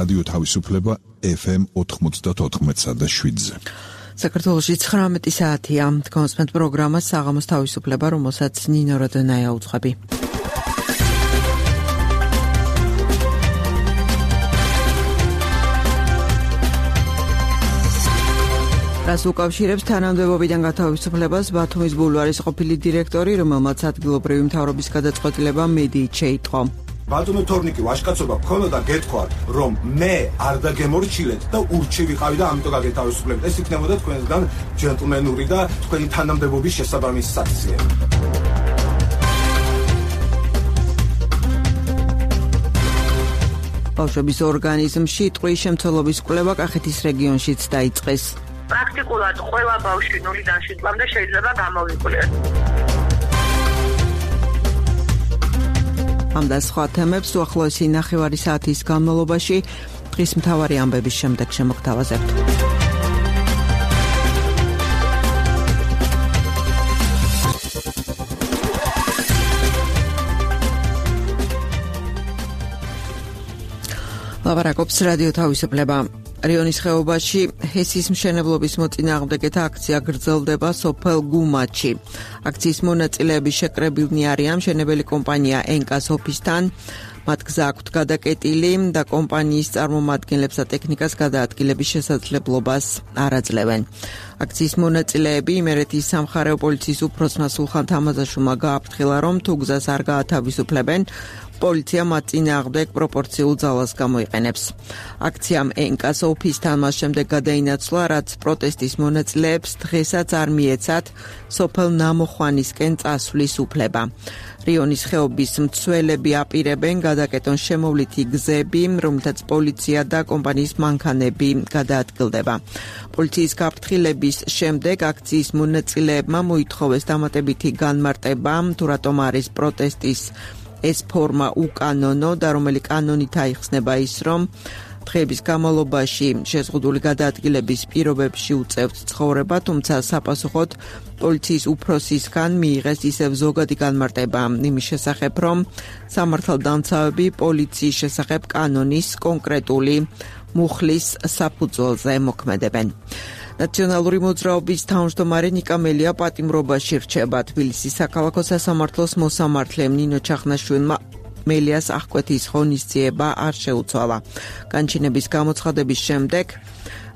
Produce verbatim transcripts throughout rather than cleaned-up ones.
რადიო თავისუფლება ეფ ემ ოთხმოცდაოთხ და შვიდზე. საქართველოში ცხრამეტი საათია. კონსპენთ პროგრამა საღამოს თავისუფლება, რომელსაც ნინო როდონაია უძღვები. რას უკავშირებს თანამდებობიდან გათავისუფლებას ბათუმის ბულვარის ყოფილი დირექტორი, რომელმაც ადგილობრივი მთავრობის გადაწყვეტილება მედიით შეიტყო. ბატონო თორნიკი ვაშკაცობა გქონოდა გეთქვა რომ მე არ დაგემორჩილეთ და ურჩი ვიყავი და ამიტომ გაგეთავისუფლებთ. ეს იქნებოდა თქვენგან ჯენტლმენური და თქვენი თანამდებობის შესაბამისი საქციელი. ბავშვების ორგანიზმში ტყვის შემცველობის კვლევა კახეთის რეგიონშიც დაიწყეს. პრაქტიკულად ყველა ბავშვი ნულიდან შვიდამდე შეიძლება გამოვიკვლიეს. ამ და სხვა თემებს უახლოესი ნახევარი საათის განმავლობაში დღის მთავარი ამბების შემდეგ შემოგთავაზებთ. ლაპარაკობს რადიო თავისუფლება. რიონის ხეობაში ჰესის მშენებლობის მოწინააღმდეგეთა აქცია გრძელდება სოფელ გუმაჩი. აქციის მონაწილეები შეკრებილნი არიან მშენებელი კომპანია ენკას ოფისთან. მათ გზა აქვთ გადაკეტილი და კომპანიის წარმომადგენლებს და ტექნიკას გადაადგილების შესაძლებლობას არ აძლევენ. აქციის მონაწილეები იმერეთის სამხარეო პოლიციის უფროსმა სულხან თამაზაშვილმა გააფრთხილა, რომ თუ გზას არ გაათავისუფლებენ, პოლიცია მათ წინააღმდეგ პროპორციულ ძალას გამოიყენებს. აქციამ ენკას ოფისთან მას შემდეგ გადაინაცვლა, რაც პროტესტის მონაწილეებს დღესაც არ მიეცათ სოფელ ნამოხვანისკენ წასვლის უფლება. რიონის ხეობის მცველები აპირებენ გადაკეტონ შემოვლითი გზები, რომელთაც პოლიცია და კომპანიის მანქანები გადაადგილდება. პოლიციის გაფრთხილების შემდეგ აქციის მონაწილეებმა მოითხოვეს დამატებითი განმარტება, თუ რატომ არის პროტესტის ეს ფორმა უკანონო და რომელი კანონით აიხსნება ის, რომ დღეების განმავლობაში შეზღუდული გადაადგილების პირობებში უწევთ ცხოვრება, თუმცა საპასუხოდ პოლიციის უფროსისგან მიიღეს ისევ ზოგადი განმარტება იმის შესახებ, რომ სამართალდამცავები პოლიციის შესახებ კანონის კონკრეტული მუხლის საფუძველზე მოქმედებენ. ნაციონალური მოძრაობის თავმჯდომარე ნიკა მელია პატიმრობაში რჩება. თბილისის საქალაქო სასამართლოს მოსამართლე ნინო ჩახნაშვილმა მელიას აღკვეთის ღონისძიება არ შეუცვალა. განჩინების გამოცხადების შემდეგ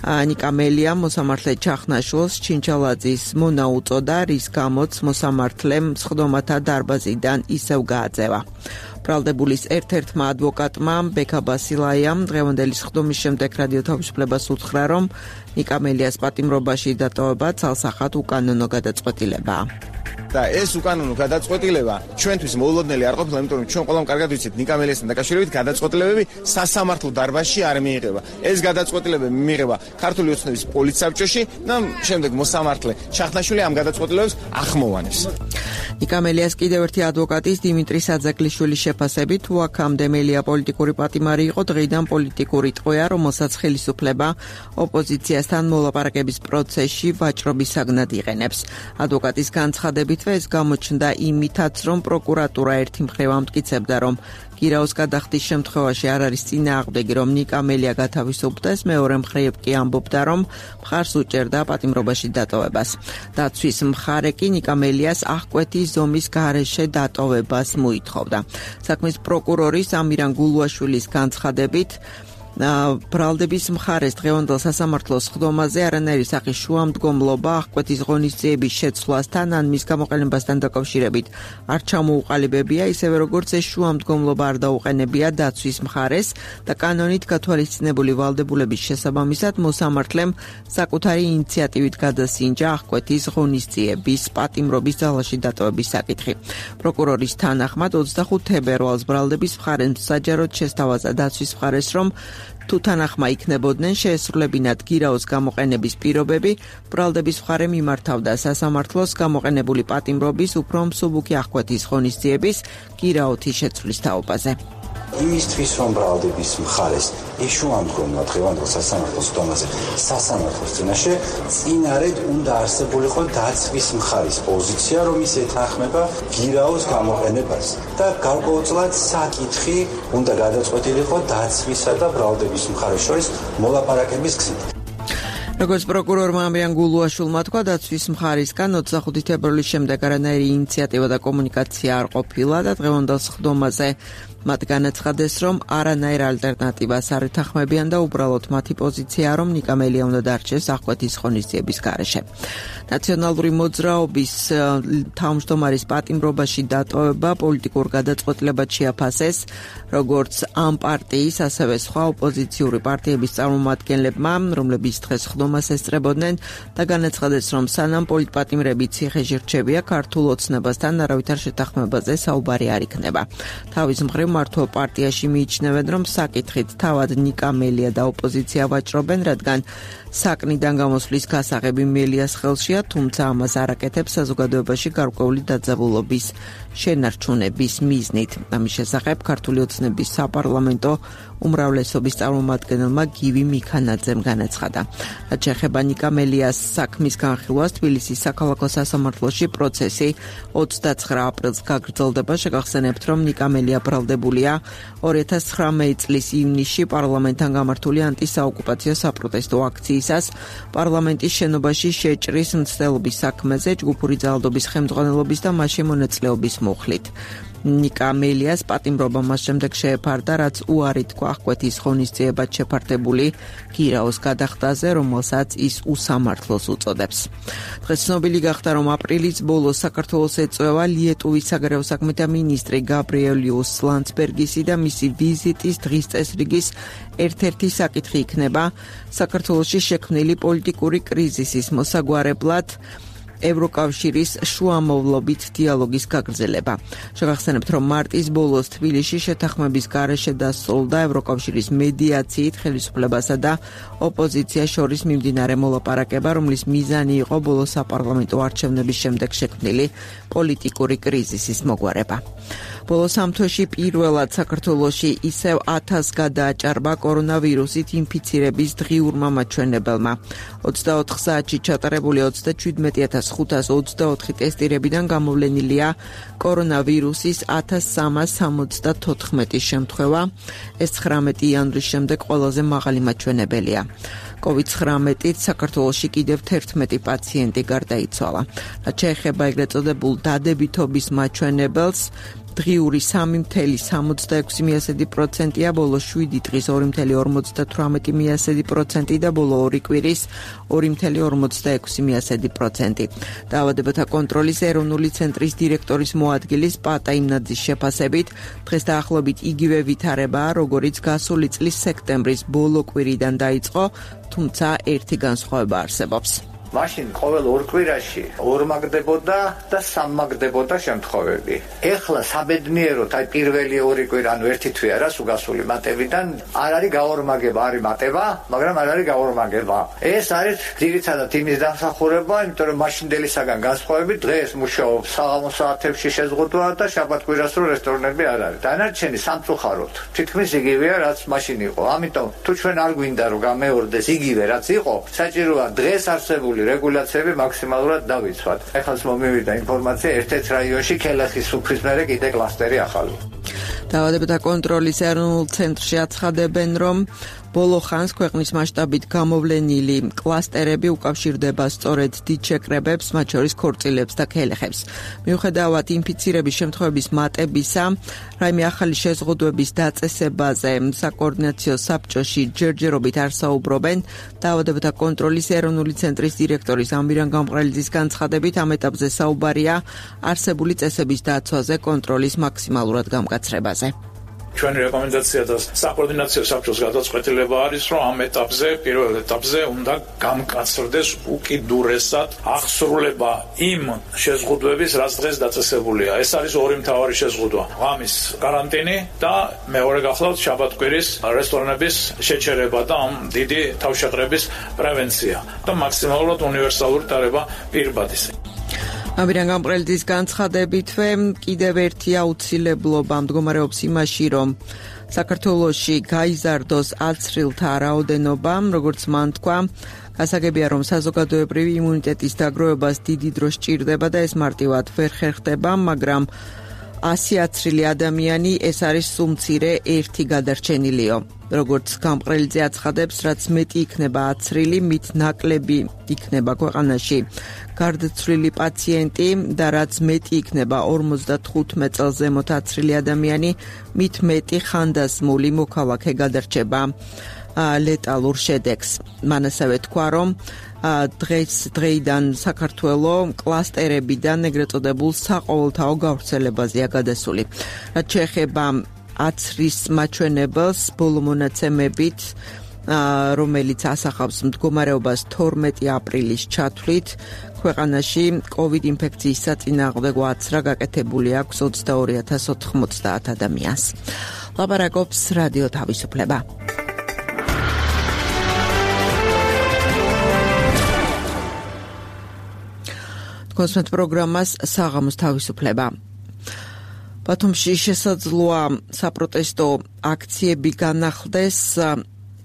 ნიკა მელია მოსამართლე ჩახნაშვილს ჩინჩალაძის მონა უწოდა, რის გამოც მოსამართლემ სხდომათა დარბაზიდან ისევ გააძევა. ბრალდებულის ერთ-ერთმა ადვოკატმა ბექა ბასილაიამ დღევანდელი სხდომის შემდეგ რადიო თავისუფლებას უთხრა, რომ ნიკა მელიას პატიმრობაში დატოვება ცალსახად უკანონო გადაწყვეტილებაა. და ეს უკანონო გადაწყვეტილება ჩვენთვის მოულოდნელი არ ყოფილა, იმიტომ რომ ჩვენ ყველამ კარგად ვიცით ნიკა მელიასთან დაკავშირებით გადაწყვეტილებები სასამართლო დარბაზში არ მიიღება. ეს გადაწყვეტილებები მიიღება ქართული ოცნების პოლიცსაბჭოში და შემდეგ მოსამართლე ჩახნაშვილი ამ გადაწყვეტილებებს ახმოვანებს. ნიკა მელიას კიდევ ერთი ადვოკატის დიმიტრი საძაგლიშვილის შეფასებით, თუ აქამდე მელია პოლიტიკური პატიმარი იყო, დღეიდან პოლიტიკური ტყვეა, რომელსაც ხელისუფლება ოპოზიციასთან მოლაპარაკების პროცესში ვაჭრობის საგნად იყენებს. ადვოკატის განცხადებით ეს გამოჩნდა იმითაც, რომ პროკურატურა ერთი მხრივ ამტკიცებდა, რომ გირაოს გადახდის შემთხვევაში არ არის წინააღმდეგი, რომ ნიკა მელია გათავისუფლდეს, მეორე მხრივ კი ამბობდა, რომ მხარს უჭერდა პატიმრობაში დატოვებას. დაცვის მხარე კი ნიკა მელიას აღკვეთის ზომის გარეშე დატოვებას მოითხოვდა. საქმის პროკურორის ამირან გულუაშვილის განცხადებით, ბრალდების მხარეს დღევანდელ სასამართლოს სხდომაზე არანაირი სახის შუამდგომლობა აღკვეთის ღონისძიების შეცვლასთან ან მის გამოყენებასთან დაკავშირებით არ ჩამოუყალიბებია, ისევე როგორც ეს შუამდგომლობა არ დაუყენებია დაცვის მხარეს და კანონით გათვალისწინებული ვალდებულების შესაბამისად მოსამართლემ საკუთარი ინიციატივით გადასინჯა აღკვეთის ღონისძიების პატიმრობის ძალაში დატოვების საკითხი. პროკურორის თანახმად ოცდახუთ თებერვალს ბრალდების მხარემ საჯაროდ შესთავაზა დაცვის მხარეს, რომ თუ თანახმა იქნებოდნენ შეესრულებინათ გირაოს გამოყენების პირობები, ბრალდების მხარე მიმართავდა სასამართლოს გამოყენებული პატიმრობის უფრო მსუბუქი აღკვეთის ღონისძიების გირაოთი შეცვლის თაობაზე. იმისთვის რომ ბრალდების მხარეს ეშუამდგომლა დღევანდელ სასამართლოს დონეზე სასამართლოს წინაშე წინარედ უნდა არსებულიყო დაცვის მხარის პოზიცია, რომ ის ეთანხმება გირაოს გამოყენებას და გარკვეულწილად საკითხი უნდა გადაწყვეტილიყო დაცვისა და ბრალდების მხარეს შორის მოლაპარაკების გზით. როგორც პროკურორმა ამიან გულუაშვილმა თქვა, დაცვის მხარისგან ოცდახუთი თებერვლის შემდეგ არანაირი ინიციატივა და კომუნიკაცია არ ყოფილა და დღევანდელ სხდომაზე მათ განაცხადეს, რომ არანაირ ალტერნატივას არ ეთანხმებიან და უბრალოდ მათი პოზიციაა, რომ ნიკა მელია უნდა დარჩეს აღკვეთის ღონისძიების გარეშე. ნაციონალური მოძრაობის თავმჯდომარის პატიმრობაში დატოვება პოლიტიკურ გადაწყვეტილებად შეაფასეს, როგორც ამ პარტიის, ასევე სხვა ოპოზიციური პარტიების წარმომადგენლებმა, რომლებიც დღეს სხდომას ესწრებოდნენ და განაცხადეს, რომ სანამ პოლიტპატიმრები ციხეში რჩებია, ქართულ ოცნებასთან არავითარ შეთანხმებაზე საუბარი არ იქნება. თავის მხრივ მართლ პარტიაში მიიჩნევენ, რომ საკითხით თავად ნიკა მელია და ოპოზიცია ვაჭრობენ, რადგან საკნიდან გამოსვლის გასაღები მელიას ხელშია, თუმცა ამას არ აკეთებს საზოგადოებაში გარკვეული დაძაბულობის შენარჩუნების მიზნით. ამის შესახებ ქართული ოცნების საპარლამენტო უმრავლესობის წარმომადგენელმა გივი მიქანაძემ განაცხადა. რაც შეეხება ნიკა მელიას საქმის განხილვას, თბილისის საქალაქო სასამართლოში პროცესი ოცდაცხრა აპრილს გაგრძელდება. შეგახსენებთ, რომ ნიკა მელია ბრალდებულია ორი ათას ცხრამეტი წლის ივნისში პარლამენტთან გამართული ანტისაოკუპაციო საპროტესტო აქციისას პარლამენტის შენობაში შეჭრის მცდელობის საქმეზე ჯგუფური ძალადობის ხელმძღვანელობის და მასში მონაწილეობის მუხლით. ნიკა მელიას პატიმრობა მას შემდეგ შეეფარდა, რაც უარი თქვა აღკვეთის ღონისძიებად შეფარდებული გირაოს გადახდაზე, რომელსაც ის უსამართლოს უწოდებს. დღეს ცნობილი გახდა, რომ აპრილის ბოლოს საქართველოს ეწევა ლიეტუვის საგარეო საქმეთა მინისტრი გაბრიელიუს ლანდსბერგისი და მისი ვიზიტის დღის წესრიგის ერთ-ერთი საკითხი იქნება საქართველოში შექმნილი პოლიტიკური კრიზისის მოსაგვარებლად ევროკავშირის შუამავლობით დიალოგის გაგრძელება. შეგახსენებთ, რომ მარტის ბოლოს თბილისში შეთანხმების გარეშე დასრულდა ევროკავშირის მედიაციით ხელისუფლებასა და ოპოზიციას შორის მიმდინარე მოლაპარაკება, რომლის მიზანი იყო ბოლოს საპარლამენტო არჩევნების შემდეგ შექმნილი პოლიტიკური კრიზისის მოგვარება. ბოლო სამ თვეში პირველად საქართველოში ისევ ათას გადააჭარბა კორონავირუსით ინფიცირების დღიურმა მაჩვენებელმა. ოცდაოთხ საათში ჩატარებული ოცდაჩვიდმეტი ათას ხუთას ოცდაოთხი ტესტირებიდან გამოვლენილია კორონავირუსის ათას სამას სამოცდათოთხმეტი შემთხვევა. ეს ცხრამეტი იანვრის შემდეგ ყველაზე მაღალი მაჩვენებელია. კოვიდ ცხრამეტით საქართველოში კიდევ თერთმეტი პაციენტი გარდაიცვალა. რაც შეეხება ეგრეთ წოდებულ დადებითობის მაჩვენებელს, დღიური სამი მცდელი სამოცდაექვსი მიასედი პროცენტია, ბოლო შვიდი დღის ორი მცდელი ორმოცდათვრამეტი მიასედი პროცენტი და ბოლო ორი კვირის ორი მცდელი ორმოცდაექვსი მიასედი პროცენტი. დაავადებათა კონტროლის ეროვნული ცენტრის დირექტორის მოადგილის პატა იმნაძის შეფასებით, დღეს დაახლოებით იგივე ვითარებაა, როგორიც გასული წლის სექტემბრის ბოლო კვირიდან დაიწყო, თუმცა ერთი განსხვავება არსებობს. მაშინ ყოველ ორ კვირაში ორმაგდებოდა და სამმაგდებოდა შემთხვევები. ეხლა საბედნიეროდ აი პირველი ორი კვირა, ანუ ერთი თვე არა სულ მატებიდან არ არის გაორმაგება, არის მატება, მაგრამ არ არის გაორმაგება. ეს არის ძირითადად იმის დამსახურება, იმიტომ რომ მაშინდელისაგან განსხვავებით დღეს მუშაობს საღამო საათებში შეზღუდვა და შაბათ-კვირას რო რესტორნები არ არის. დანარჩენი სამწუხაროდ თითქმის იგივეა, რაც მაშინ იყო. ამიტომ თუ ჩვენ არ გვინდა რომ გამეორდეს იგივე რაც იყო, საჭიროა დღეს არსებული რეგულაციები მაქსიმალურად დავიცვათ. ეხლა მომივიდა ინფორმაცია ერთ-ერთ რაიონში ქელახის სუფრის მერე კიდე კლასტერი ახალი. დაავადებათა კონტროლის ეროვნულ ცენტრში აცხადებენ, რომ ბოლო ხანს ქვეყნის მასშტაბით გამოვლენილი კლასტერები უკავშირდება სწორედ დიდ შეკრებებს, მათ შორის ქორწილებს და ქელეხებს. მიუხედავად ინფიცირების შემთხვევების მატებისა, რაიმე ახალი შეზღუდვების დაწესებაზე საკოორდინაციო საბჭოში ჯერჯერობით არ საუბრობენ. დაავადებათა კონტროლის ეროვნული ცენტრის დირექტორის ამირან გამყრელიძის განცხადებით, ამ ეტაპზე საუბარია არსებული წესების დაცვაზე, კონტროლის მაქსიმალურად გამკაცრებაზე. ჩვენი რეკომენდაცია და საკოორდინაციო საბჭოს გადაწყვეტილება არის, რომ ამ ეტაპზე, პირველ ეტაპზე უნდა გამკაცრდეს უკიდურესად აღსრულება იმ შეზღუდვების, რაც დღეს დაწესებულია. ეს არის ორი მთავარი შეზღუდვა. ღამის каранტინი და მეორე გახლავთ შაბათ-კვირის რესტორნების შეჩერება და ამ დიდი თავშეყრების პრევენცია და მაქსიმალურად უნივერსალური ტარება პირბადის. ამირან გამყრელიძის განცხადებითვე კიდევ ერთი აუცილებლობა მდგომარეობს იმაში, რომ საქართველოში გაიზარდოს აცრილთა რაოდენობა, როგორც მან თქვა, გასაგებია, რომ საზოგადოებრივი იმუნიტეტის დაგროვებას დიდი დრო სჭირდება და ეს მარტივად ვერ ხერხდება, მაგრამ ასი აცრილი ადამიანი ეს არის სუმცირე ერთი გადარჩენილიო. როგორც გამყრელიძე აცხადებს, რაც მეტი იქნება აცრილი, მით ნაკლები იქნება ქვეყანაში გარდაცვლილი პაციენტი და რაც მეტი იქნება ორმოცდათხუთმეტ წელს ზემოთ აცრილი ადამიანი, მით მეტი ხანდაზმული მოქალაქე გადარჩება ლეტალურ შედეგს. მან ასევე თქვა, რომ დღეს დღეიდან საქართველოს კლასტერებიდან ეგრეთ წოდებულ საყოველთაო გავრცელებაზეა გადასული. რაც შეეხება აცრის მაჩვენებელს, ბოლო მონაცემებით, რომელიც ასახავს მდგომარეობას თორმეტი აპრილის ჩათვლით, ქვეყანაში კოვიდ ინფექციის საწინააღმდეგო აცრა გაკეთებული აქვს ოცდაორი ათას ოთხმოცდაათ ადამიანს. ლაპარაკობს რადიო თავისუფლება. კონსმეთ პროგრამას საღამოს თავისუფლება. ბათუმში შესაძლოა საპროტესტო აქციები განახლდეს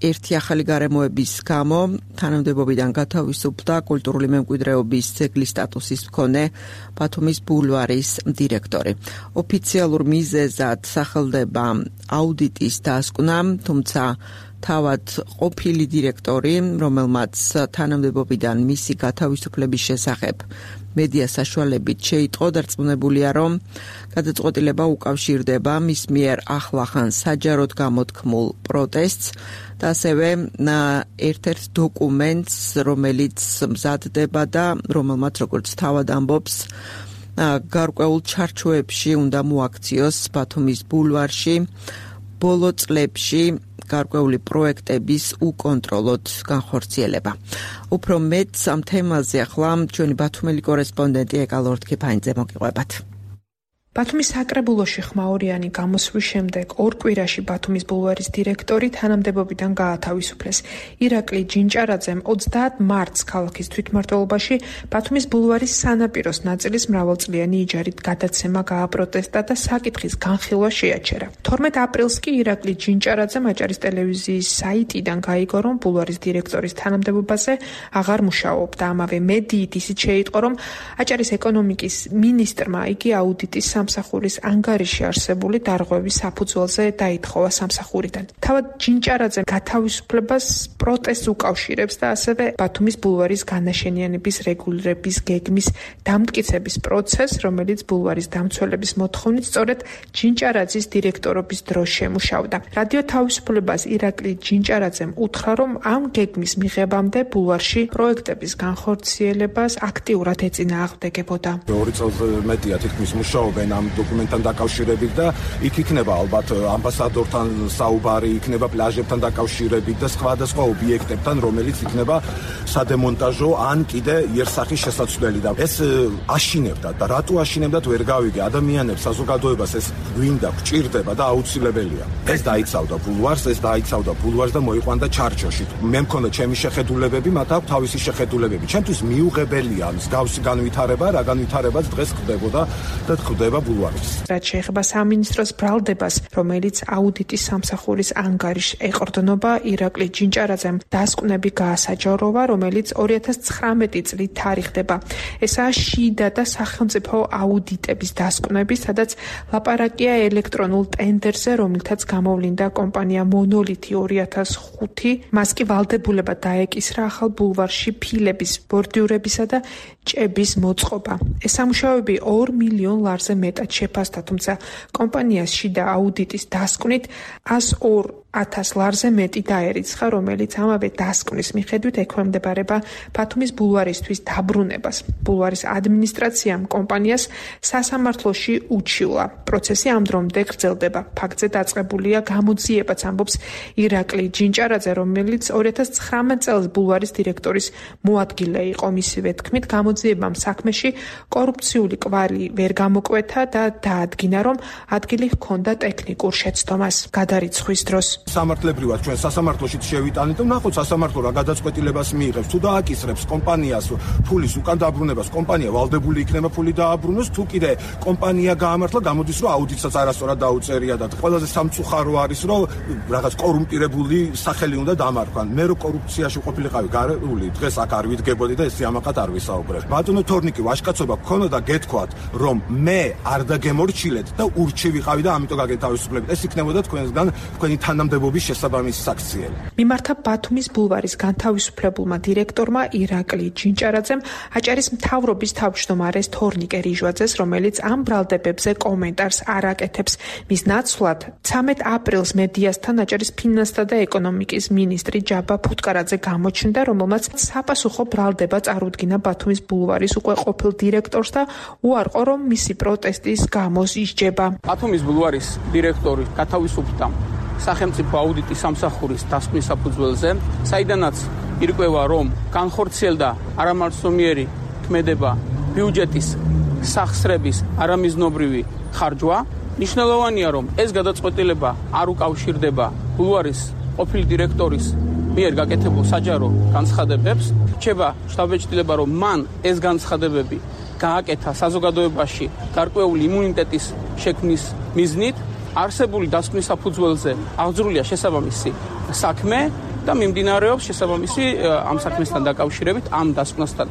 ერთი ახალი გარემოების გამო. თანამდებობიდან გათავისუფლდა კულტურული მემკვიდრეობის ძეგლის სტატუსის მქონე ბათუმის ბულვარის დირექტორი. ოფიციალურ მიზეზად სახელდება აუდიტის დასკვნა, თუმცა თავად ყოფილი დირექტორი, რომელმაც თანამდებობიდან მისი გათავისუფლების შესახებ მედია საშუალებით შეიტყო, დარწმუნებულია, რომ გადაწყვეტილება უკავშირდება მის მიერ ახლახან საჯაროდ გამოთქმულ პროტესტს და ასევე ერთ-ერთ დოკუმენტს, რომელიც მზადდება და რომელმაც, როგორც თავად ამბობს, გარკვეულ ჩარჩოებში უნდა მოაქციოს ბათუმის ბულვარში ბოლო წლებში გარკვეული პროექტების უკონტროლოდ განხორციელება. უფრო მეტ ამ თემაზე ახლა ჩვენი ბათუმელი კორესპონდენტი ეკალორდ ქიფაინძე მოგიყვებათ. ბათუმის საკრებულოში ხმაურიანი გამოსვლის შემდეგ ორ კვირაში ბათუმის ბულვარის დირექტორი თანამდებობიდან გაათავისუფლეს. ირაკლი ჯინჭარაძემ ოცდაათ მარტს ქალაქის თვითმმართველობაში ბათუმის ბულვარის სანაპიროს ნაწილის მრავალწლიანი იჯარით გადაცემა გააპროტესტა და საკითხის განხილვა შეაჩერა. თორმეტ აპრილს კი ირაკლი ჯინჭარაძემ აჭარის ტელევიზიის საიტიდან გაიგო, რომ ბულვარის დირექტორის თანამდებობაზე აღარ მუშაობდა. ამავე მედიით ისიც შეიტყო, რომ აჭარის ეკონომიკის მინისტრმა იგი აუდიტის სამსახურის ანგარიში არსებული დარღვევის საფუძველზე დაითხოვა სამსახურიდან. თავად ჯინჭარაძემ გათავისუფლებას პროტესტს უკავშირებს და ასევე ბათუმის ბულვარის განაშენიანების რეგულირების გეგმის დამტკიცების პროცესს, რომელიც ბულვარის დამცველების მოთხოვნით სწორედ ჯინჭარაძის დირექტორობის დროს შემუშავდა. რადიო თავისუფლებას ირაკლი ჯინჭარაძემ უთხრა, რომ ამ გეგმის მიღებამდე ბულვარში პროექტების განხორციელებას აქტიურად ეწინააღმდეგებოდა. ორი წელს მეტია თითქმის მუშაობენ ამ დოკუმენტთან დაკავშირებით და იქ იქნება ალბათ ამბასადორთან საუბარი, იქნება პლაჟებთან დაკავშირებით და სხვადასხვა ობიექტებთან, რომელიც იქნება სადემონტაჟო ან კიდე იერსახის შესაცვლელი და ეს აშინებდა და რატო აშინებდათ ვერ გავიგე. ადამიანებს საზოგადოებას ეს გვინდა, გჭირდება და აუცილებელია. ეს დაიცავდა ბულვარს, ეს დაიცავდა ბულვარს და მოიყვანდა ჩარჩოში. მე მქონდა ჩემი შეხედულებები, მათ აქვს თავისი შეხედულებები. ჩემთვის მიუღებელია მსგავსი განვითარება, რა განვითარებაც დღეს ხდებოდა და ხდება ბულვარის. რაც შეეხება სამინისტროს ბრალდებას, რომელიც აუდიტის სამსახურის ანგარიშს ეყრდნობა, ირაკლი ჯინჭარაძემ დასკვნები გაასაჯაროვა, რომელიც ორი ათას ცხრამეტი წლით თარიღდება. ესაა შიდა და სახელმწიფო აუდიტების დასკვნები, სადაც ლაპარაკია ელექტრონულ ტენდერზე, რომელთაც გამოვლინდა კომპანია მონოლითი ორი ათას ხუთი. მას კი ვალდებულება დაეკისრა ახალ ბულვარში ფილების, ბორდიურებისა და ჭების მოწყობა. ეს სამუშაოები ორ მილიონ ლარზე მეტად შეფასდა, თუმცა კომპანიას შიდა აუდიტის დასკვნით ას ორ ათას ლარზე მეტი დაერიცხა, რომელიც ამავე დასკვნის მიხედვით ექვემდებარება ბათუმის ბულვარისთვის დაბრუნებას. ბულვარის ადმინისტრაციამ კომპანიას სასამართლოში უჩივლა. პროცესი ამ დრომდე გრძელდება. ფაქტზე დაწყებულია გამოძიებაც, ამბობს ირაკლი ჯინჭარაძე, რომელიც ორი ათას ცხრამეტ წელს ბულვარის დირექტორის მოადგილე იყო. მისივე თქმით, გამოძიებამ საქმეში კორუფციული კვალი ვერ გამოკვეთა და დაადგინა, რომ ადგილი ჰქონდა ტექნიკურ შეცდომას გადარიცხვის დროს. სამართლებრივად ჩვენ სასამართლოში შევიტანეთ და ნახოთ სასამართლო რა გადაწყვეტილებას მიიღებს, თუ დააკისრებს კომპანიას ფულის უკან დაბრუნებას, კომპანია ვალდებული იქნება ფული დააბრუნოს, თუ კიდე კომპანია გაამართლა, გამოდის რომ აუდიტსაც არასწორად დაუწერია და ყველაზე სამწუხარო არის რომ რაღაც კორუმპირებული სახელი უნდა დამარქვან. მე რო კორუფციაში ყოფილიყავი გარეული, დღეს აქ არ ვიდგებოდი და ეს სიამაყად არ ვისაუბრებ. ბატონო თორნიკი, ვაჟკაცობა გქონოდა გეთქვათ, რომ მე არ დაგემორჩილეთ და ურჩი ვიყავი და ამიტომ გაგეთავისუფლებით. ეს იქნებოდა თქვენსგან თქვენი თანამდებობის შესაბამისი საქციელი. მიმართა ბათუმის ბულვარის განთავისუფლებულმა დირექტორმა ირაკლი ჯინჭარაძემ აჭარის მთავრობის თავმჯდომარეს თორნიკე რიჟვაძეს, რომელიც ამ ბრალდებებზე კომენტარს არ აკეთებს. მის ნაცვლად ცამეტ აპრილს მედიასთან აჭარის ფინანსთა და ეკონომიკის მინისტრი ჯაბა ფუტკარაძე გამოჩნდა, რომელმაც საპასუხო ბრალდება წარუდგინა ბათუმის ბულვარის უკვე ყოფილ დირექტორს და უარყო, რომ მისი პროტესტის გამო ისჯება. ბათუმის ბულვარის დირექტორი გათავისუფლდა სახელმწიფო აუდიტის სამსახურის დასკვნის საფუძველზე, საიდანაც ირკვევა, რომ განხორციელდა არამარცნობიერი ქმედება ბიუჯეტის სახსრების არამიზნობრივი ხარჯვა. ნიშნულოვანია, რომ ეს გადაწყვეტილება არ უკავშირდება ბულვარის ყოფილი დირექტორის მიერ გაკეთებულ საჯარო განცხადებებს. რჩება შთაბეჭდილება, რომ მან ეს განცხადებები გააკეთა საზოგადოებაში გარკვეული იმუნიტეტის შექმნის მიზნით. არსებული დასკვნის საფუძველზე აღძრულია შესაბამისი საქმე და მიმდინარეობს შესაბამისი ამ საქმესთან დაკავშირებით, ამ დასკვნასთან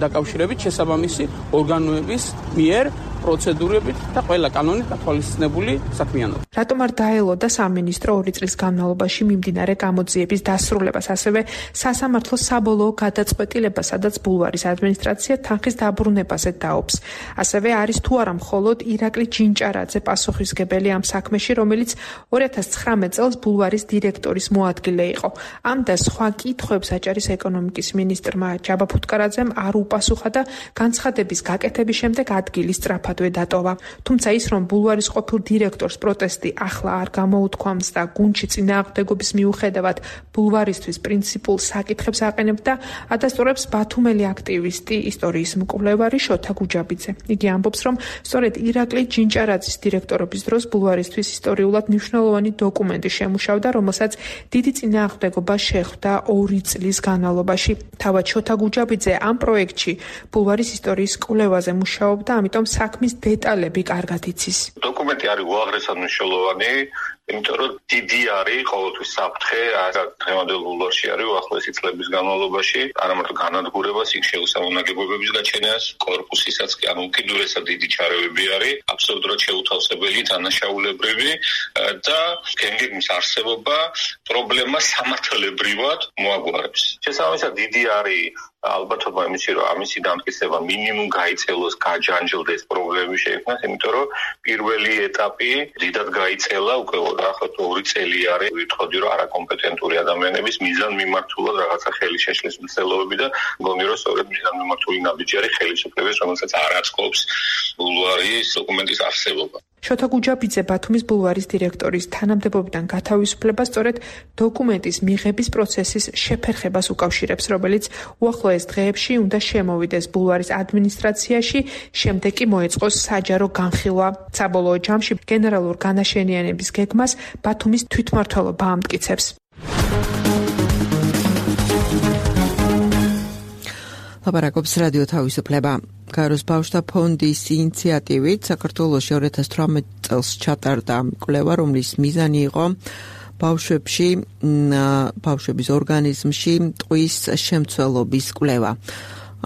დაკავშირებით შესაბამისი ორგანოების მიერ პროცედურებით და ყველა კანონით გათვალისწინებული საქმიანობა. რატომ არ დაელოდა სამინისტრო ორი წლის განმავლობაში მიმდინარე გამოძიების დასრულებას, ასევე სასამართლოს საბოლოო გადაწყვეტილებას, სადაც ბულვარის ადმინისტრაცია თანხის დაბრუნებაზე დაობს. ასევე არის თუ არა მხოლოდ ირაკლი ჯინჭარაძე პასუხისმგებელი ამ საქმეში, რომელიც ორი ათას ცხრამეტ წელს ბულვარის დირექტორის მოადგილე იყო. ამ და სხვა კითხვებს აჭარის ეკონომიკის მინისტრმა ჯაბა ფუტკარაძემ არ უპასუხა და განცხადების გაკეთების შემდეგ ადგილი სწრაფად დატოვა. თუმცა ის, რომ ბულვარის ყოფილ დირექტორს პროტესტი ახლა არ გამოუთქვამს და გუნდში წინააღმდეგობის მიუხედავად ბულვარისთვის პრინციპულ საკითხებს აყენებდა, ადასტურებს ბათუმელი აქტივისტი, ისტორიის მკვლევარი შოთა გუჯაბიძე. იგი ამბობს, რომ სწორედ ირაკლი ჯინჭარაძის დირექტორობის დროს ბულვარისთვის ისტორიულად მნიშვნელოვანი დოკუმენტი შემუშავდა, რომელსაც დიდი წინააღმდეგობა შეხვდა ორი წლის განმავლობაში. თავად შოთა გუჯაბიძე ამ პროექტში ბულვარის ისტორიის კვლევაზე მუშაობდა, ამიტომ საქმის დეტალები კარგად იცის. დოკუმენტი არის უაღრესად მნიშვნელოვანი, იმიტომ რომ დიდი არის ყოველთვის საფრთხე, დღევანდელ ბულვარში არის უახლოესი წლების განმავლობაში, არა მარტო განადგურებას, იქ შეუსამონაგებობების გაჩენას, კორპუსისაც კი ანუ უკიდურესად დიდი ჩარევები არის, აბსოლუტურად შეუთავსებელი, დანაშაულებრივი და გენგების არსებობა პრობლემას სამართლებრივად მოაგვარებს. შესაბამისად დიდი არის ალბათობა იმისი, რომ ამისი დამტკიცება მინიმუმ გაიწელოს, გაჯანჯლდეს, პრობლემები შეიქმნას, იმიტომ რომ პირველი ეტაპი დიდად გაიწელა, უკვე ახლა ორი წელი არის, ვიტყოდი რომ არაკომპეტენტური ადამიანების მიზანმიმართულად რაღაცა ხელი შეშლის მცდელობები და მგონი რომ სწორედ მიზანმიმართული ნაბიჯი არის ხელისუფლების, რომელსაც არ აწყობს ბულვარის დოკუმენტის არსებობა. შოთა გუჯაბიძე ბათუმის ბულვარის დირექტორის თანამდებობიდან გათავისუფლება სწორედ დოკუმენტის მიღების პროცესის შეფერხებას უკავშირებს, რომელიც უახლოეს დღეებში უნდა შემოვიდეს ბულვარის ადმინისტრაციაში, შემდეგ კი მოეწყოს საჯარო განხილვა. საბოლოო ჯამში გენერალურ განაშენიანების გეგმას ბათუმის თვითმმართველობა ამტკიცებს. ლაპარაკობს რადიო თავისუფლება. გაეროს ბავშვთა ფონდის ინიციატივით საქართველოში ორი ათას თვრამეტ წელს ჩატარდა კვლევა, რომლის მიზანი იყო ბავშვებში, ბავშვების ორგანიზმში ტყვის შემცველობის კვლევა.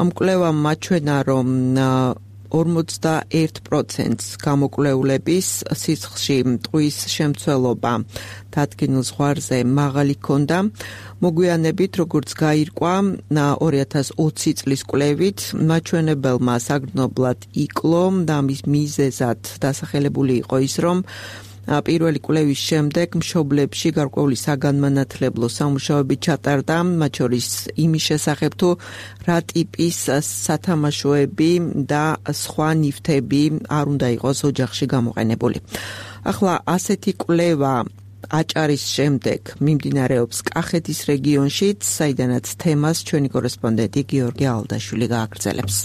ამ კვლევამ მაჩვენა, რომ ორმოცდაერთ პროცენტს გამოკვლეულების სიცხში ტყვის შემცველობა დადგენილ ზღვარზე მაღალი ჰქონდა. მოგვიანებით, როგორც გაირკვა ორი ათას ოცი წლის კვლევით, მაჩვენებელმა საგრძნობლად იკლო და მის მიზეზად დასახელებული იყო ის, რომ პირველი კვლევის შემდეგ მშობლებში გარკვეული საგანმანათლებლო სამუშაოები ჩატარდა, მათ შორის იმის შესახებ, თუ რა ტიპის სათამაშოები და სხვა ნივთები არ უნდა იყოს ოჯახში გამოყენებული. ახლა ასეთი კვლევა აჭარის შემდეგ მიმდინარეობს კახეთის რეგიონშიც, საიდანაც თემას ჩვენი კორესპონდენტი გიორგი ალდაშვილი გააგრძელებს.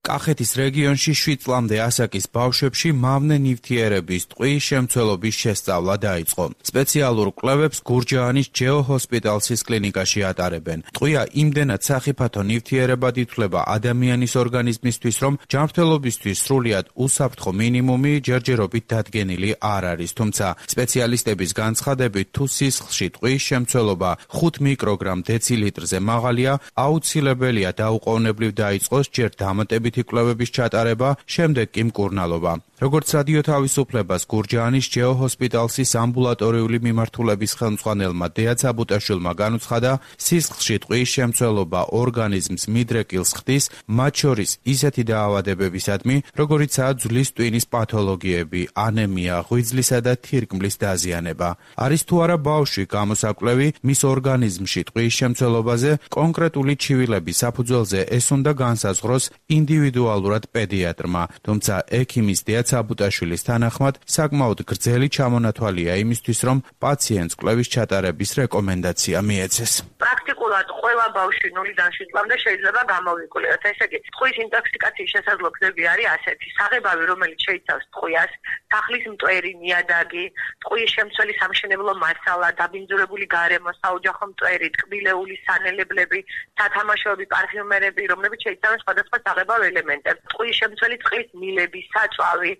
კახეთის რეგიონში შვიდ წლამდე ასაკის ბავშვებში მავნე ნივთიერების ტყვიის შემცველობის შესწავლა დაიწყო. სპეციალურ კვლევებს გურჯაანის ჯეო ჰოსპიტალსის კლინიკაში ატარებენ. ტყვია იმდენად სახიფათო ნივთიერებად ითვლება ადამიანის ორგანიზმისთვის, რომ ჯანმრთელობისთვის სრულიად უსაფრთხო მინიმუმი ჯერჯერობით დადგენილი არ არის. თუმცა სპეციალისტების განცხადებით, თუ სისხლში ტყვიის შემცველობა ხუთ მიკროგრამ დეცილიტრზე მაღალია, აუცილებელია დაუყოვნებლივ დაიწყოს ჯერ დამატებითი კვლევების ჩატარება, შემდეგ კი მკურნალობა. როგორც რადიო თავისუფლებას გურჯაანის ჯეო ჰოსპიტალსის ამბულატორიული მიმართულების ხელმძღვანელმა დეა ცაბუტაშვილმა განუცხადა, სისხლში ტყვიის შემცველობა ორგანიზმს მიდრეკილს ხდის, მათ შორის ისეთი დაავადებებისადმი, როგორიცაა ძვლის ტვინის პათოლოგიები, ანემია, ღვიძლისა და თირკმლის დაზიანება. არის თუ არა ბავშვი გამოსაკვლევი მის ორგანიზმში ტყვიის შემცველობაზე, კონკრეტული ჩივილების საფუძველზე ეს უნდა განსაზღვროს ინდივიდუალურად პედიატრმა, თუმცა ექიმის დეა ცაბუტაშვილის თანახმად საკმაოდ გრძელი ჩამონათვალია იმისთვის, რომ პაციენტს კვლევის ჩატარების რეკომენდაცია მიეცეს. პრაქტიკულად ყველა ბავშვი ნულიდან შვიდ წლამდე შეიძლება გამოვიყუროთ. ესე იგი, ტყვის ინტოქსიკაციის შესაძლო გზები არის ასეთი: საღებავი, რომელიც შეიცავს ტყვიას, სახლის მტვერი, ნიადაგი, ტყვის შემცველი სამშენებლო მასალა, დაბინძურებული გარემო, საოჯახო მტვერი, ტკბილეული სანელებლები, სათამაშოები, პარფიუმერები, რომლებიც შეიცავენ სხვადასხვა საღებავ ელემენტებს. ტყვის შემცველი წყლის მილები, საწვავი,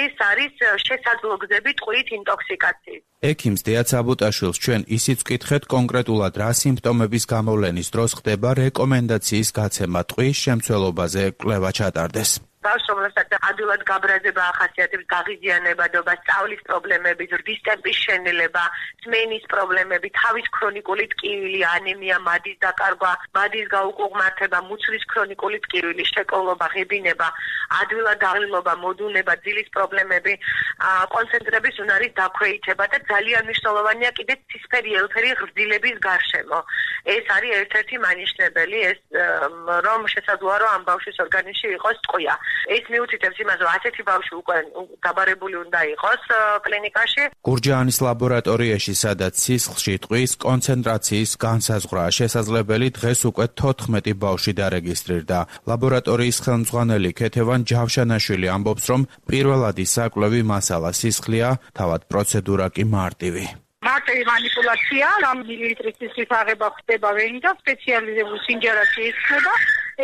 ეს არის შესაძლო გზები ტყვით ინტოქსიკაციის. ექიმს დეა ცაბუტაშვილს ჩვენ ისიც ვკითხეთ კონკრეტულად რა სიმპტომების გამოვლენის დროს ხდება რეკომენდაციის გაცემა ტყვის შემცველობაზე კვლევა ჩატარდეს. ბავშვს, რომელსაც ადვილად გაბრაზება ახასიათებს, გაღიზიანებადობა, სწავლის პრობლემები, ზრდის ტემპის შენელება, სმენის პრობლემები, თავის ქრონიკული ტკივილი, ანემია, მადის დაკარგვა, მადის გაუკუღმართება, მუცლის ქრონიკული ტკივილი, შეკოვლობა, ღებინება, ადვილად დაღლილობა, მოდუნება, ძილის პრობლემები, კონცენტრების უნარის დაქვეითება და ძალიან მნიშვნელოვანია კიდეც ცისფერი ელფერი ღრდილების გარშემო. ეს არის ერთ-ერთი მანიშნებელი, ეს რომ შესაძლოა რომ ამ ბავშვის ორგანიზმში იყოს ტყვია. ეს მიუთითებს იმას, რომ ასეთი ბავშვი უკვე დაბარებული უნდა იყოს კლინიკაში. გურჯაანის ლაბორატორიაში, სადაც სისხლში ტყვის კონცენტრაციის განსაზღვრაა შესაძლებელი, დღეს უკვე თოთხმეტი ბავშვი დარეგისტრირდა. ლაბორატორიის ხელმძღვანელი ქეთევან ჯავშანაშვილი ამბობს, რომ პირველადი საკვლევი მასალა სისხლია, თავად პროცედურა კი მარტივი. მარტივი მანიპულაცია, რამ მილილიტრის სისხლის აღება ხდება ვენით და სპეციალიზებული სინჯარაში იხსნება,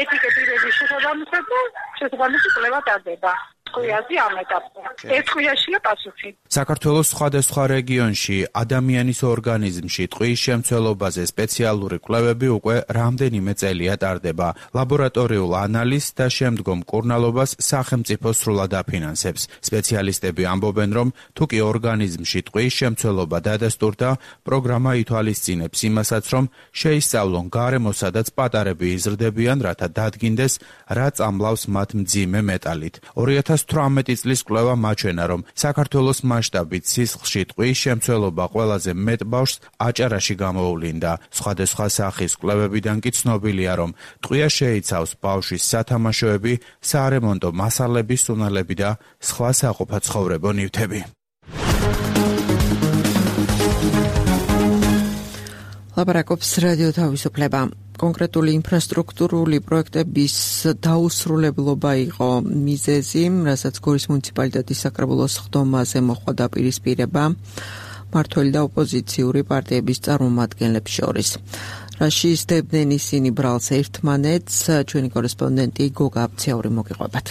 ეტიკეტირების შესაბამისად და შესაბამისი კვლევა ტარდება. ტყვიაზე ამ ეტაპზე. ეს ტყვიაშია პასუხი. საქართველოს სხვადასხვა რეგიონში ადამიანის ორგანიზმში ტყვის შემცველობაზე სპეციალური კვლევები უკვე რამდენიმე წელია ტარდება. ლაბორატორიულ ანალიზს და შემდგომ მკურნალობას სახელმწიფო სრულად აფინანსებს. სპეციალისტები ამბობენ, რომ თუ კი ორგანიზმში ტყვის შემცველობა დადასტურდა, პროგრამა ითვალისწინებს იმასაც, რომ შეისწავლონ გარემო, სადაც პატარები იზრდებიან, რათა დადგინდეს, რა წამლავს მათ მძიმე მეტალით. ორი ათას თვრამეტი წლის კვლევა მაჩვენა, რომ საქართველოს მასშტაბით სისხლში ტყვის შემცველობა ყველაზე მეტ ბავშვს აჭარაში გამოუვლინდა. სხვადასხვა სახის კვლევებიდან კი ცნობილია, რომ ტყვია შეიცავს ბავშვის სათამაშოები, საარემონტო მასალების სუნელები და სხვა საყოფაცხოვრებო ნივთები. ლაპარაკობს რადიო თავისუფლება. კონკრეტული ინფრასტრუქტურული პროექტების დაუსრულებლობა იყო მიზეზი, რასაც გორის მუნიციპალიტეტის საკრებულოს ხდომაზე მოხდა დაპირისპირება მმართველი და ოპოზიციური პარტიების წარმომადგენლებს შორის. რაში ისდებდნენ ისინი ბრალს ერთმანეთს, ჩვენი კორესპონდენტი გოგა აბციური მოგიყვებათ.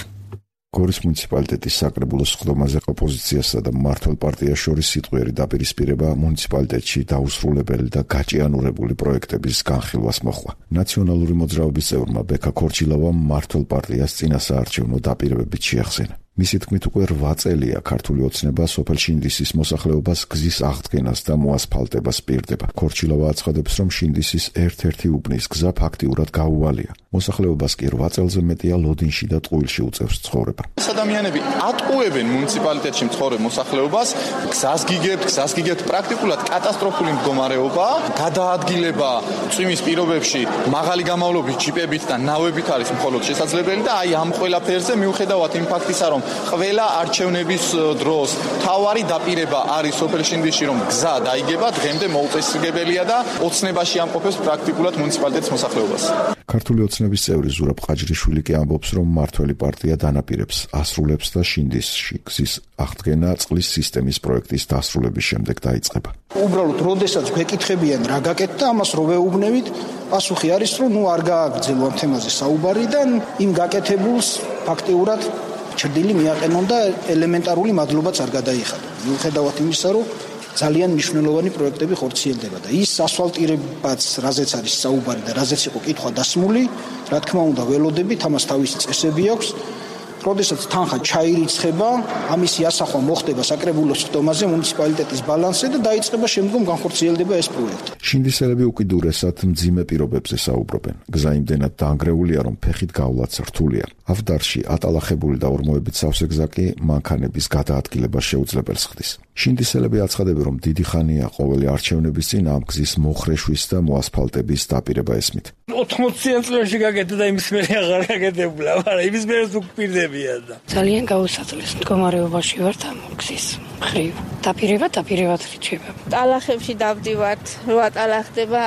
გორის მუნიციპალიტეტის საკრებულოს ხდომაზე ოპოზიციასა და მმართველ პარტიას შორის სიტყვიერი დაპირისპირება მუნიციპალიტეტში დაუსრულებელი და გაჭიანურებული პროექტების განხილვას მოხდა. ნაციონალური მოძრაობის წევრმა ბექა ქორჩილავამ მმართველ პარტიას წინასაარჩევნო დაპირებებით შეახსენა. მისი თქმით უკვე რვა წელია ქართული ოცნება სოფელ შინდისის მოსახლეობას გზის აღდგენას და მოასფალტებას პირდება. ქორჩილავა აცხადებს, რომ შინდისის ერთ-ერთი უბნის გზა ფაქტიურად გაუვალია. მოსახლეობას კი რვა წელზე მეტია ლოდინში და ტყუილში უწევს ცხოვრება. ადამიანები ატყუებენ მუნიციპალიტეტში მცხოვრებ მოსახლეობას, გზას გიგებთ, გზას გიგებთ, პრაქტიკულად კატასტროფული მდგომარეობა, გადაადგილება წვიმის პირობებში მაღალი გამავლობის ჯიპებით და ნავებით არის მხოლოდ შესაძლებელი და აი ამ ყველაფერზე მიუხედავად იმ ფაქტისა, რომ ყველა არჩევნების დროს თავარი დაპირება არის სოფელ შინდისში, რომ გზა დაიგება, დღემდე მოუწესრიგებელია და ოცნებაში ამყოფებს პრაქტიკულად მუნიციპალიტეტის მოსახლეობას. ქართული ოცნების წევრი ზურაბ ყაჯრიშვილი კი ამბობს, რომ მმართველი პარტია დანაპირებს ასრულებს და შინდისში გზის აღდგენა წყლის სისტემის პროექტის დასრულების შემდეგ დაიწყება. უბრალოდ როდესაც გვეკითხებიან რა გაკეთდა, ამას რო ვეუბნებით, პასუხი არის, რომ ნუ არ გააგრძელო ამ თემაზე საუბარი და იმ გაკეთებულს ფაქტიურად ჩრდილი მიაყენონ და ელემენტარული მადლობაც არ გადაიხადონ. მიუხედავად იმისა, რომ ძალიან მნიშვნელოვანი პროექტები ხორციელდება და ის ასფალტირებაც, რაზეც არის საუბარი და რაზეც იყო კითხვა დასმული, რა თქმა უნდა ველოდებით, ამას თავისი წესები აქვს. როდესაც თანხა ჩაირიცხება, ამისი ასახვა მოხდება საკრებულოს ხდომაზე მუნიციპალიტეტის ბალანსზე და დაიწყება შემდგომ განხორციელდება ეს პროექტი. შინდისელები უკიდურესად მძიმე პირობებზე საუბრობენ. გზა იმდენად დაანგრეულია, რომ ფეხით გავლაც რთულია. ავდარში ატალახებული და ორმოებით სავსე გზა კი მანქანების გადაადგილება შეუძლებელს ხდის. შინდისელები აცხადებენ, რომ დიდი ხანია ყოველი არჩევნების წინ ამ გზის მოხრეშვის და მოასფალტების დაპირება ესმით. ოთხმოცი წლებში გაკეთდა და იმის მერე აღარ გაკეთებულა, მაგრამ იმის მერეც უკპირდებიან და ძალიან გაუსაძლეს მდგომარეობაში ვართ ამ გზის მხრივ. დაპირება დაპირებად რჩება. ტალახებში დავდივართ, რო ატალახდება,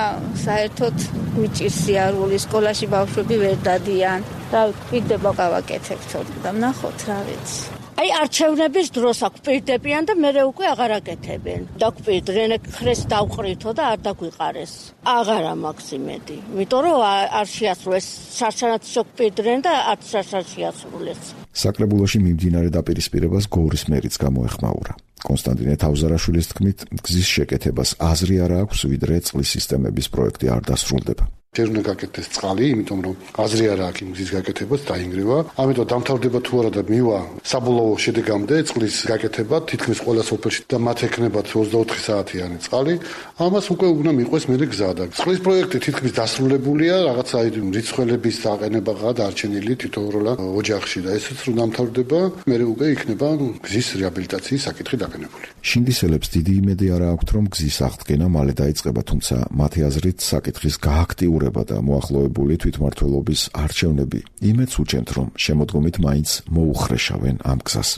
საერთოდ მიჭირს სიარული, სკოლაში ბავშვები ვერ დადიან. რა ვკვირდება გავაკეთებთ და ნახოთ რა ვიცი. აი არჩევნების დროს აკვირდებიან და მერე უკვე აღარ აკეთებენ. დაკვირდნენ, ხრეს დავყრითო და არ დაგვიყარეს. აღარა მაქვს იმედი. იმიტომ რომ არ შეასრულეს, შარშანაც შეკვირდნენ და არც შარშან შეასრულეს. საკრებულოში მიმდინარე დაპირისპირებას გორის მერიც გამოეხმაურა. კონსტანტინე თავზარაშვილის თქმით, გზის შეკეთებას აზრი არ აქვს, ვიდრე წყლის სისტემების პროექტი არ დასრულდება. ჯერ უნდა გაკეთდეს წყალი, იმიტომ რომ აზრი არ აქვს გზის გაკეთებას, დაინგრევა. ამიტომ დამთავრდება თუ არა და მივა საბოლოო შედეგამდე წყლის გაკეთება თითქმის ყველა სოფელში და მათ ექნებათ ოცდაოთხი საათიანი წყალი. ამას უკვე უნდა მიყვეს მერე გზა და წყლის პროექტი თითქმის დასრულებულია, რაღაცა რიცხველების დაყენებაა დარჩენილი თითოეულ ოჯახში და ესეც რომ დამთავრდება, მერე უკვე იქნება გზის რეაბილიტაციის საკითხი დაყენებული. შინდისელებს დიდი იმედი არ აქვთ, რომ გზის აღდგენა მალე დაიწყება, თუმცა მათი აზრით საკითხის გააქტიურება და მოახლოებული თვითმმართველობის არჩევნები იმედს უჩენთ, რომ შემოდგომით მაინც მოუხრეშავენ ამ გზას.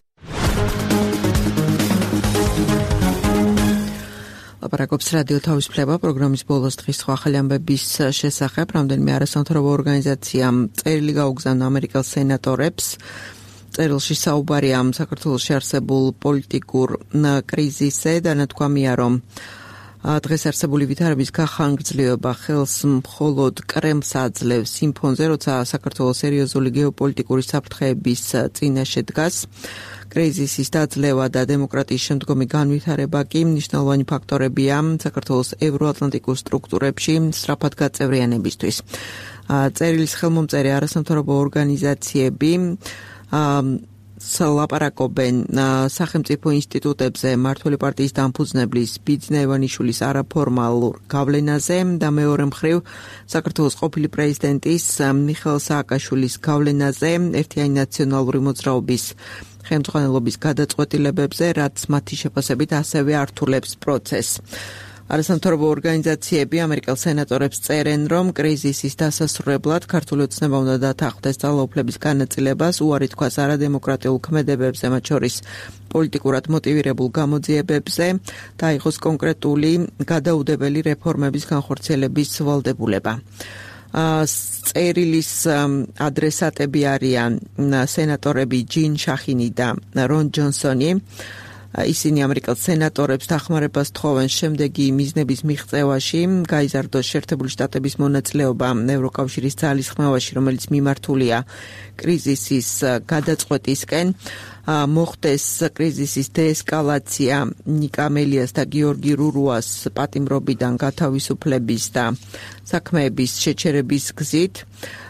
ლაპარაკობს რადიო თავისუფლება პროგრამის ბოლოს დღის სხვა ახალი ამბების შესახებ. რამდენიმე არასამთავრობო ორგანიზაციამ წერილი გაუგზავნა ამერიკელ სენატორებს. წერილში საუბარია საქართველოში არსებულ პოლიტიკურ კრიზისზე და ნათქვამია, რომ დღეს არსებული ვითარების გახანგრძლივება ხელს მხოლოდ კრემლს აძლევს იმ ფონზე, როცა საქართველოს სერიოზული გეოპოლიტიკური საფრთხეების წინაშე დგას. კრიზისის დაძლევა და დემოკრატიის შემდგომი განვითარება კი მნიშვნელოვანი ფაქტორებია საქართველოს ევროატლანტიკურ სტრუქტურებში სწრაფად გაწევრიანებისთვის. წერილის ხელმომწერი არასამთავრობო ორგანიზაციები ლაპარაკობენ სახელმწიფო ინსტიტუტებზე მმართველი პარტიის დამფუძნებლის ბიძინა ივანიშვილის არაფორმალურ გავლენაზე და მეორე მხრივ საქართველოს ყოფილი პრეზიდენტის მიხეილ სააკაშვილის გავლენაზე ერთიანი ნაციონალური მოძრაობის ხელმძღვანელობის გადაწყვეტილებებზე, რაც მათი შეფასებით ასევე ართულებს პროცესს. არასამთავრობო ორგანიზაციები ამერიკელ სენატორებს წერენ, რომ კრიზისის დასასრულებლად ქართული ოცნება უნდა დათანხმდეს ძალაუფლების განაწილებას, უარი თქვას არადემოკრატიულ ქმედებებზე, მათ შორის პოლიტიკურად მოტივირებულ გამოძიებებზე და იყოს კონკრეტული გადაუდებელი რეფორმების განხორციელების ვალდებულება. წერილის ადრესატები არიან სენატორები ჯინ შახინი და რონ ჯონსონი. ისინი ამერიკელ სენატორებს დახმარებას თხოვენ შემდეგი მიზნების მიღწევაში, გაიზარდოს შეერთებული შტატების მონაწილეობა ევროკავშირის ძალისხმევაში, რომელიც მიმართულია კრიზისის გადაწყვეტისკენ, მოხდეს კრიზისის დეესკალაცია ნიკა მელიას და გიორგი რურუას პატიმრობიდან გათავისუფლების და საქმეების შეჩერების გზით,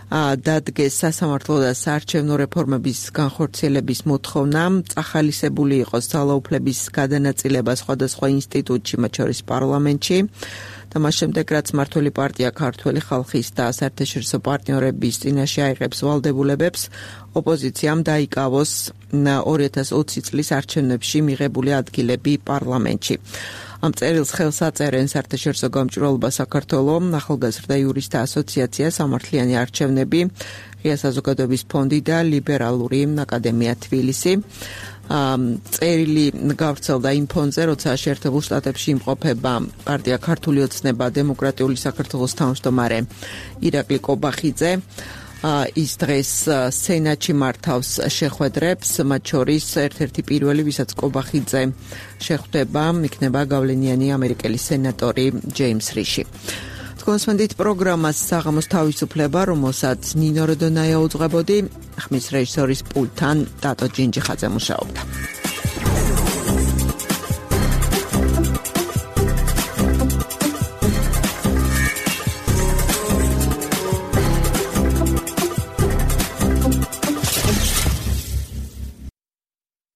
დადგეს სასამართლო და საარჩევნო რეფორმების განხორციელების მოთხოვნა, წახალისებული იყოს ძალაუფლების გადანაწილება სხვადასხვა ინსტიტუტში, მათ შორის პარლამენტში და მას შემდეგ, რაც მმართველი პარტია ქართველი ხალხის და საერთაშორისო პარტნიორების წინაშე აიღებს ვალდებულებებს, ოპოზიციამ დაიკავოს ორი ათას ოცი წლის არჩევნებში მიღებული ადგილები პარლამენტში. ამ წერილს ხელს აწერენ საერთაშორისო გამჭვირვალობა საქართველოს, ახალგაზრდა იურისტთა ასოციაცია, სამართლიანი არჩევნები, ღია საზოგადოების ფონდი და ლიბერალური აკადემია თბილისი. წერილი გავრცელდა იმ ფონზე, როცა შეერთებულ შტატებში იმყოფება პარტია ქართული ოცნება დემოკრატიული საქართველოს თავმჯდომარე ირაკლი კობახიძე. ის დღეს სენატში მართავს შეხვედრებს, მათ შორის ერთ-ერთი პირველი, ვისაც კობახიძე შეხვდება, იქნება გავლენიანი ამერიკელი სენატორი ჯეიმს რიში. კონსვენდით პროგრამას საღამოს თავისუფლება, რომელსაც ნინო როდონაია უძღვებოდი, ხმის რეჟისორის პულტთან დატო ჯინჯიხაძე მუშაობდა.